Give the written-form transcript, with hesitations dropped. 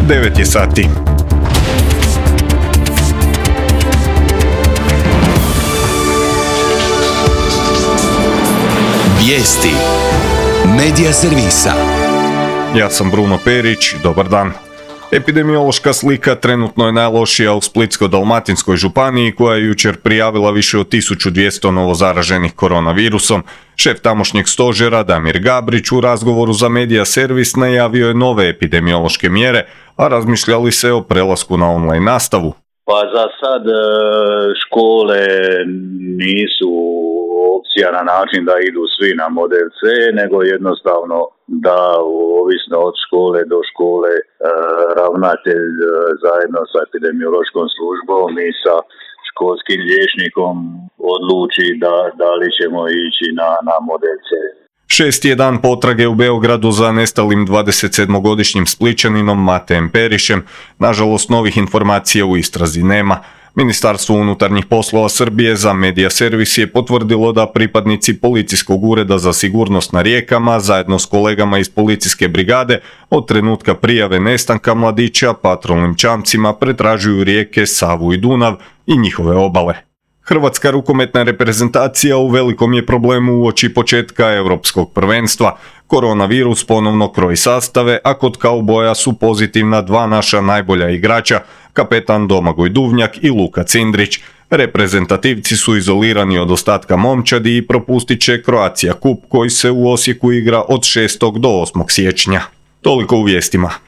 9 je sati. Vijesti Medija servisa. Ja sam Bruno Perić, dobar dan. Epidemiološka slika trenutno je najlošija u Splitsko-dalmatinskoj županiji koja je jučer prijavila više od 1200 novozaraženih koronavirusom. Šef tamošnjeg stožera Damir Gabrić u razgovoru za Medija servis najavio je nove epidemiološke mjere, a razmišljali se o prelasku na online nastavu. Pa za sad škole nisu opcija na način da idu svi na model C, nego jednostavno da ovisno od škole do škole ravnatelj zajedno sa epidemiološkom službom i sa školskim liječnikom odluči da li ćemo ići na model C. 6. je dan potrage u Beogradu za nestalim 27-godišnjim Splićaninom Matejem Perišem. Nažalost, novih informacija u istrazi nema. Ministarstvo unutarnjih poslova Srbije za Medija servis je potvrdilo da pripadnici Policijskog ureda za sigurnost na rijekama zajedno s kolegama iz policijske brigade od trenutka prijave nestanka mladića patrolnim čamcima pretražuju rijeke Savu i Dunav i njihove obale. Hrvatska rukometna reprezentacija u velikom je problemu uoči početka europskog prvenstva. Koronavirus ponovno kroji sastave, a kod kauboja su pozitivna dva naša najbolja igrača, kapetan Domagoj Duvnjak i Luka Cindrić. Reprezentativci su izolirani od ostatka momčadi i propustit će Croatia Cup koji se u Osijeku igra od 6. do 8. siječnja. Toliko u vijestima.